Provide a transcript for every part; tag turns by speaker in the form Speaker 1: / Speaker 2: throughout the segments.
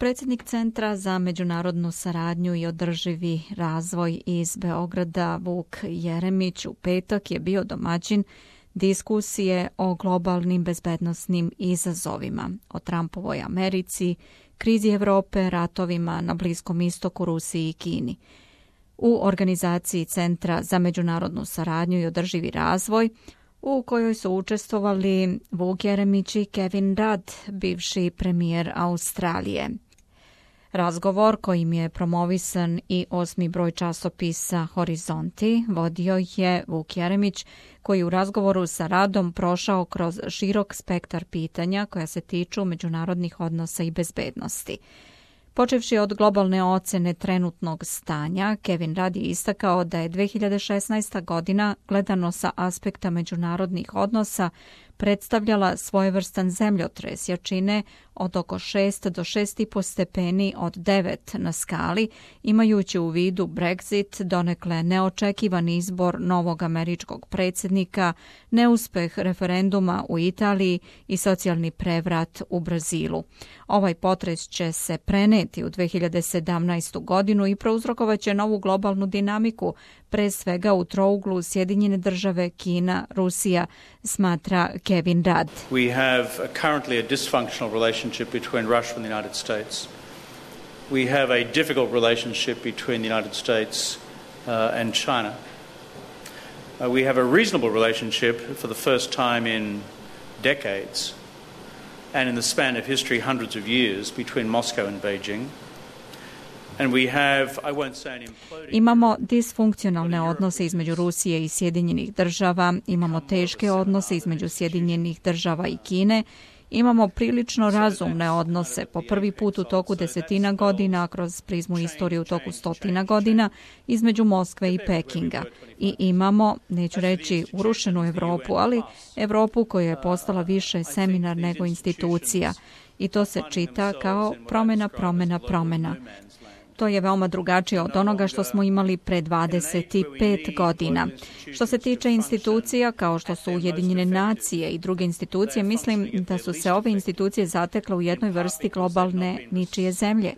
Speaker 1: Predsjednik Centra za međunarodnu saradnju i održivi razvoj iz Beograda Vuk Jeremić u petak je bio domaćin diskusije o globalnim bezbednosnim izazovima, o Trumpovoj Americi, krizi Evrope, ratovima na Bliskom istoku, Rusiji i Kini. U organizaciji Centra za međunarodnu saradnju i održivi razvoj, u kojoj su učestvovali Vuk Jeremić i Kevin Rudd, bivši premijer Australije. Razgovor kojim je promovisan i 8. broj časopisa Horizonti vodio je Vuk Jeremić, koji u razgovoru sa Ruddom prošao kroz širok spektar pitanja koja se tiču međunarodnih odnosa i bezbednosti. Počevši od globalne ocene trenutnog stanja, Kevin Rudd je istakao da je 2016. godina, gledano sa aspekta međunarodnih odnosa, predstavljala svojevrstan zemljotres jačine od oko 6 do 6,5 stepeni od 9 na skali, imajući u vidu Brexit, donekle neočekivan izbor novog američkog predsjednika, neuspeh referenduma u Italiji i socijalni prevrat u Brazilu. Ovaj potres će se preneti u 2017. godinu i prouzrokovaće novu globalnu dinamiku, pre svega u trouglu Sjedinjene države, Kina, Rusija, smatra Kevin Rudd.
Speaker 2: We have currently a dysfunctional relationship between Russia and the United States. We have a difficult relationship between the United States and China. We have a reasonable relationship for the first time in decades and in the span of history hundreds of years between Moscow and Beijing.
Speaker 1: Imamo disfunkcionalne odnose između Rusije i Sjedinjenih država, imamo teške odnose između Sjedinjenih država i Kine, imamo prilično razumne odnose po prvi put u toku desetina godina, kroz prizmu istorije u toku stotina godina, između Moskve i Pekinga. I imamo, neću reći urušenu Evropu, ali Evropu koja je postala više seminar nego institucija. I to se čita kao promjena. To je veoma drugačije od onoga što smo imali pre 25 godina. Što se tiče institucija, kao što su Ujedinjene nacije i druge institucije, mislim da su se ove institucije zatekle u jednoj vrsti globalne ničije zemlje.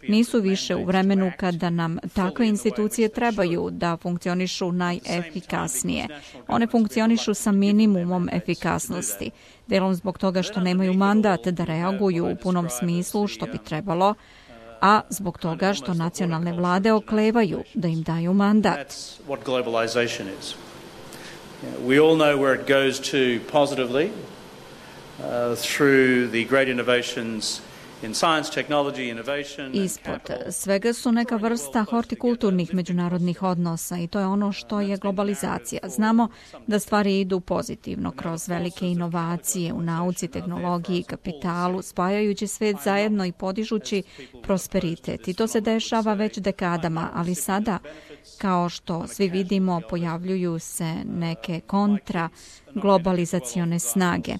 Speaker 1: Nisu više u vremenu kada nam takve institucije trebaju da funkcionišu najefikasnije. One funkcionišu sa minimumom efikasnosti. Delom zbog toga što nemaju mandat da reaguju u punom smislu što bi trebalo, a zbog toga što nacionalne vlade oklevaju da im daju mandat.
Speaker 2: We all know where it goes to positively through the great innovations in science, technology, innovation.
Speaker 1: Ispod svega su neka vrsta hortikulturnih međunarodnih odnosa i to je ono što je globalizacija. Znamo da stvari idu pozitivno kroz velike inovacije u nauci, tehnologiji i kapitalu, spajajući svet zajedno i podižući prosperitet. I to se dešava već dekadama, ali sada, kao što svi vidimo, pojavljuju se neke kontra globalizacione snage.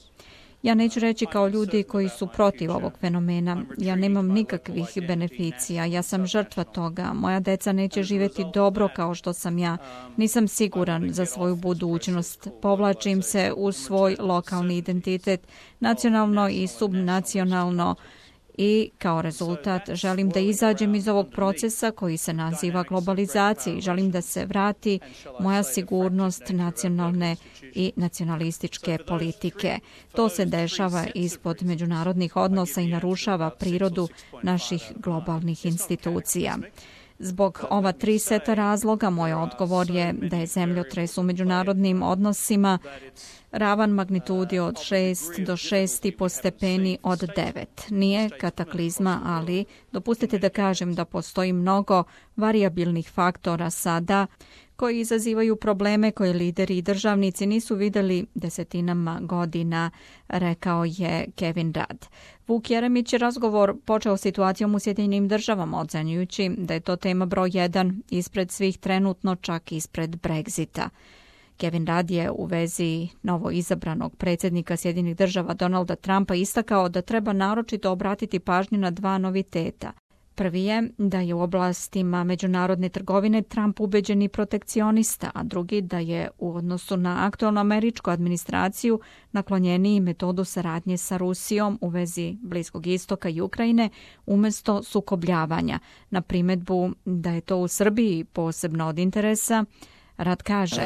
Speaker 1: Ja neću reći kao ljudi koji su protiv ovog fenomena. Ja nemam nikakvih beneficija. Ja sam žrtva toga. Moja deca neće živjeti dobro kao što sam ja. Nisam siguran za svoju budućnost. Povlačim se u svoj lokalni identitet, nacionalno i subnacionalno. I kao rezultat želim da izađem iz ovog procesa koji se naziva globalizacija i želim da se vrati moja sigurnost nacionalne i nacionalističke politike. To se dešava ispod međunarodnih odnosa i narušava prirodu naših globalnih institucija. Zbog ova 3 seta razloga moj odgovor je da je zemljotres u međunarodnim odnosima ravan magnitudi od 6 do 6,5 stepeni od 9. Nije kataklizma, ali dopustite da kažem da postoji mnogo varijabilnih faktora sada koji izazivaju probleme koje lideri i državnici nisu vidjeli desetinama godina, rekao je Kevin Rudd. Vuk Jeremić je razgovor počeo situacijom u Sjedinjenim državama, ocenjujući da je to tema broj 1 ispred svih trenutno, čak ispred Brexita. Kevin Rudd je u vezi novo izabranog predsjednika Sjedinjenih država Donalda Trumpa istakao da treba naročito obratiti pažnju na 2 noviteta. Prvi je da je u oblastima međunarodne trgovine Trump ubeđeni protekcionista, a drugi da je u odnosu na aktualnu američku administraciju naklonjeniji metodu saradnje sa Rusijom u vezi Bliskog istoka i Ukrajine umjesto sukobljavanja. Na primjedbu da je to u Srbiji posebno od interesa, Rad kaže: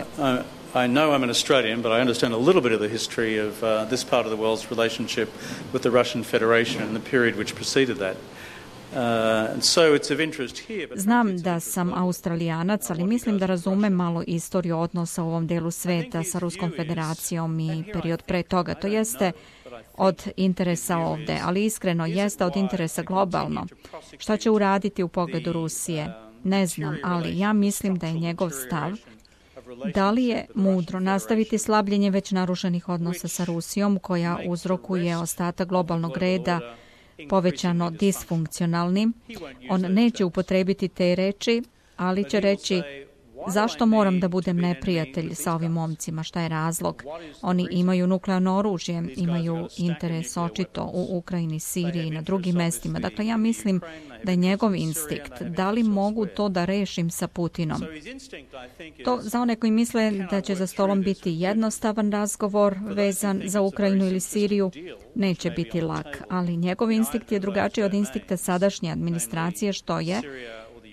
Speaker 2: I know I'm an Australian, but I understand a little bit of the history of this part of the world's relationship with the Russian Federation and the period which preceded that.
Speaker 1: Znam da sam Australijanac, ali mislim da razumem malo istoriju odnosa u ovom delu sveta sa Ruskom federacijom i period pre toga. To jeste od interesa ovde, ali iskreno jeste od interesa globalno. Šta će uraditi u pogledu Rusije? Ne znam, ali ja mislim da je njegov stav da li je mudro nastaviti slabljenje već narušenih odnosa sa Rusijom, koja uzrokuje ostatak globalnog reda povećano disfunkcionalnim. On neće upotrebiti te reči, ali će reći: zašto moram da budem neprijatelj sa ovim momcima, šta je razlog? Oni imaju nuklearno oružje, imaju interes očito u Ukrajini, Siriji i na drugim mestima. Dakle, ja mislim da je njegov instinkt, da li mogu to da rešim sa Putinom. To za one koji misle da će za stolom biti jednostavan razgovor vezan za Ukrajinu ili Siriju, neće biti lak, ali njegov instinkt je drugačiji od instinkta sadašnje administracije, što je: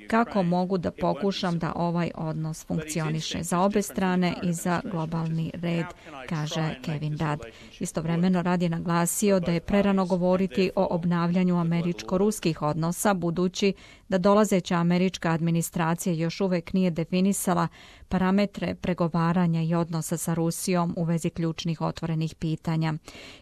Speaker 1: kako mogu da pokušam da ovaj odnos funkcioniše za obe strane i za globalni red, kaže Kevin Rudd. Istovremeno Rudd je naglasio da je prerano govoriti o obnavljanju američko-ruskih odnosa, budući da dolazeća američka administracija još uvek nije definisala parametre pregovaranja i odnosa sa Rusijom u vezi ključnih otvorenih pitanja.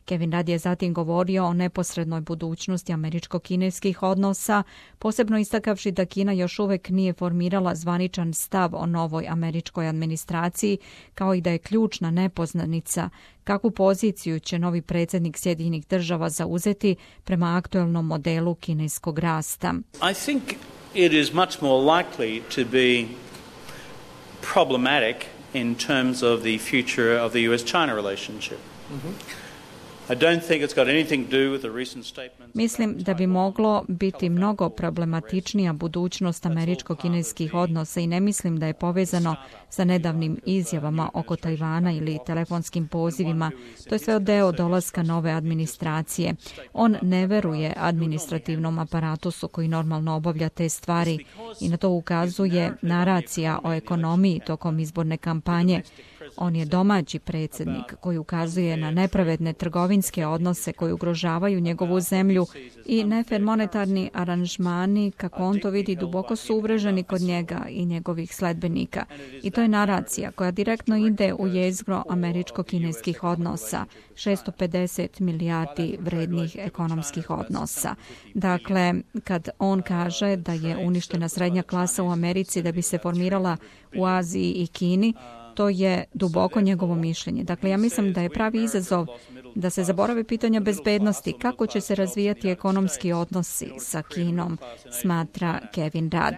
Speaker 1: Kevin Rudd je zatim govorio o neposrednoj budućnosti američko-kineskih odnosa, posebno istakavši da Kina još uvek nije formirala zvaničan stav o novoj američkoj administraciji, kao i da je ključna nepoznanica kakvu poziciju će novi predsjednik Sjedinjenih Država zauzeti prema aktuelnom modelu kineskog rasta.
Speaker 2: I think it is much more likely to be problematic in terms of the future of the US-China relationship. I don't think it's got anything to do with the recent statements.
Speaker 1: Mislim da bi moglo biti mnogo problematičnija budućnost američko-kineskih odnosa i ne mislim da je povezano sa nedavnim izjavama oko Tajvana ili telefonskim pozivima. To je sve deo dolaska nove administracije. On ne veruje administrativnom aparatusu koji normalno obavlja te stvari i na to ukazuje naracija o ekonomiji tokom izborne kampanje. On je domaći predsjednik koji ukazuje na nepravedne trgovinske odnose koji ugrožavaju njegovu zemlju i nefer monetarni aranžmani, kako on to vidi, duboko su uvreženi kod njega i njegovih sledbenika. I to je naracija koja direktno ide u jezgro američko-kineskih odnosa, 650 milijardi vrednih ekonomskih odnosa. Dakle, kad on kaže da je uništena srednja klasa u Americi da bi se formirala u Aziji i Kini, to je duboko njegovo mišljenje. Dakle, ja mislim da je pravi izazov da se zaborave pitanja bezbednosti, kako će se razvijati ekonomski odnosi sa Kinom, smatra Kevin Rudd.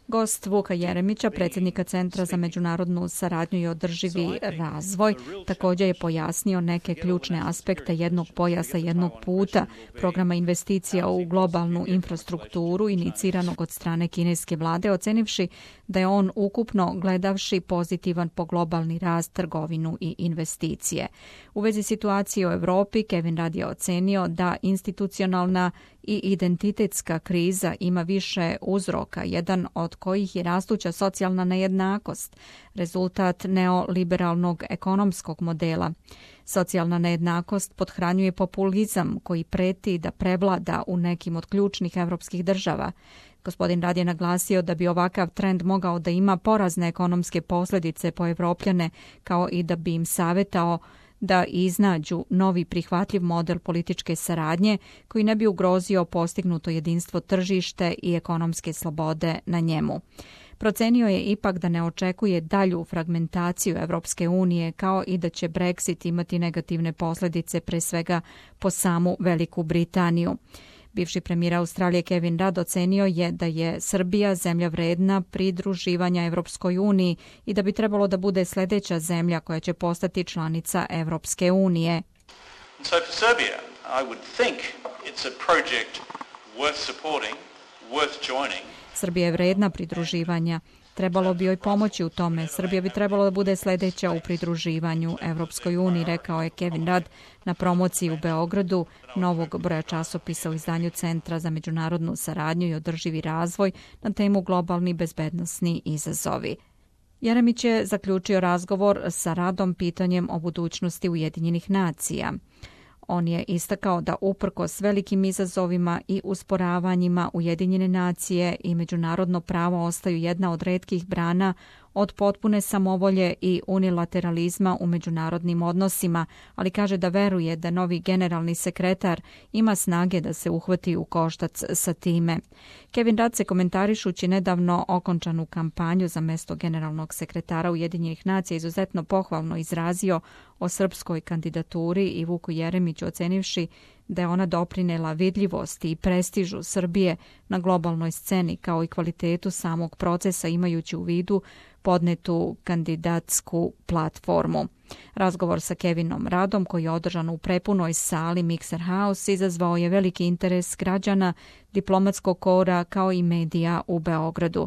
Speaker 1: Gost Vuka Jeremića, predsjednika Centra za međunarodnu saradnju i održivi razvoj, također je pojasnio neke ključne aspekte jednog pojasa, jednog puta, programa investicija u globalnu infrastrukturu iniciranog od strane kineske vlade, ocenivši da je on ukupno gledavši pozitivan po globalni rast, trgovinu i investicije. U vezi situacije u Europi, Kevin Rudd je ocenio da institucionalna i identitetska kriza ima više uzroka, jedan od kojih je rastuća socijalna nejednakost, rezultat neoliberalnog ekonomskog modela. Socijalna nejednakost pothranjuje populizam koji preti da prevlada u nekim od ključnih evropskih država. Gospodin Rudd je naglasio da bi ovakav trend mogao da ima porazne ekonomske posljedice po Evropljane, kao i da bi im savjetao da iznađu novi prihvatljiv model političke saradnje koji ne bi ugrozio postignuto jedinstvo tržište i ekonomske slobode na njemu. Procenio je ipak da ne očekuje dalju fragmentaciju Evropske unije, kao i da će Brexit imati negativne posljedice pre svega po samu Veliku Britaniju. Bivši premijer Australije Kevin Rudd ocenio je da je Srbija zemlja vredna pridruživanja Evropskoj uniji i da bi trebalo da bude sljedeća zemlja koja će postati članica Evropske unije.
Speaker 2: So for Serbia, I would think it's a project worth supporting, worth joining.
Speaker 1: Srbija je vredna pridruživanja. Trebalo bi joj pomoći u tome. Srbija bi trebalo da bude sljedeća u pridruživanju Evropskoj uniji, rekao je Kevin Rudd na promociji u Beogradu novog broja časopisa u izdanju Centra za međunarodnu saradnju i održivi razvoj na temu globalni bezbednosni izazovi. Jeremić je zaključio razgovor sa Ruddom pitanjem o budućnosti Ujedinjenih nacija. On je istakao da uprkos velikim izazovima i usporavanjima Ujedinjene nacije i međunarodno pravo ostaju jedna od retkih brana od potpune samovolje i unilateralizma u međunarodnim odnosima, ali kaže da veruje da novi generalni sekretar ima snage da se uhvati u koštac sa time. Kevin Rudd se komentarišući nedavno okončanu kampanju za mesto generalnog sekretara Ujedinjenih nacija izuzetno pohvalno izrazio o srpskoj kandidaturi i Vuku Jeremiću ocenivši da je ona doprinela vidljivosti i prestižu Srbije na globalnoj sceni kao i kvalitetu samog procesa imajući u vidu podnetu kandidatsku platformu. Razgovor sa Kevinom Ruddom koji je održan u prepunoj sali Mixer House izazvao je veliki interes građana, diplomatskog kora kao i medija u Beogradu.